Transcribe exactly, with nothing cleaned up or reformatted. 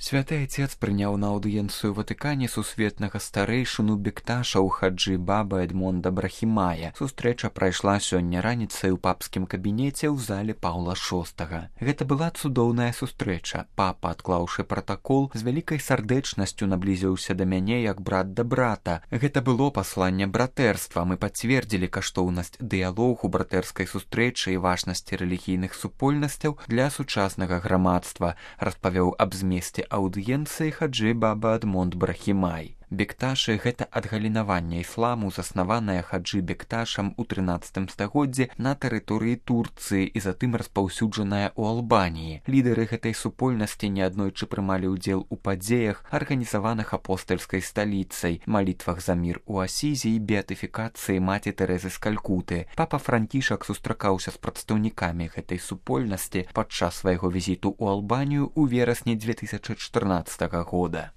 Святы Айцец прыняў на аўдыенцыю Ватыкане сусветнага старэйшыну бекташаў хаджы баба Эдмонда Брахімая. Сустрэча прайшла сёння раніцай у папскім кабінеце ў зале Паўла шостага. Гэта была цудоўная сустрэча. Папа, адклаўшы пратакол, з вялікай сардэчнасцю наблізіўся да мяне як брат да брата. Гэта было пасланне братэрства. Мы пацвердзілі каштоўнасць дыялогу, братэрскай сустрэчы і важнасці рэлігійных супольнасцяў для сучаснага грамадства, распавёў аб змесце аўдыенцыі хаджы баба Эдмонд Брахімай. Бекташы — гэта адгалінаванне ісламу, заснаванае хаджы бекташам у трынаццатым стагоддзі на тэрыторыі Турцыі і затым распаўсюджаная ў Албаніі. Лідары гэтай супольнасці неаднойчы прымалі ўдзел у падзеях, арганізаваных апостальскай сталіцай, малітвах за мір у Асізі і беатыфікацыі маці Тэрэзы з Калькуты. Папа Франкішак сустракаўся з прадстаўнікамі гэтай супольнасці падчас свайго візіту ў Албанію ў верасні дзве тысячы чатырнаццатага года.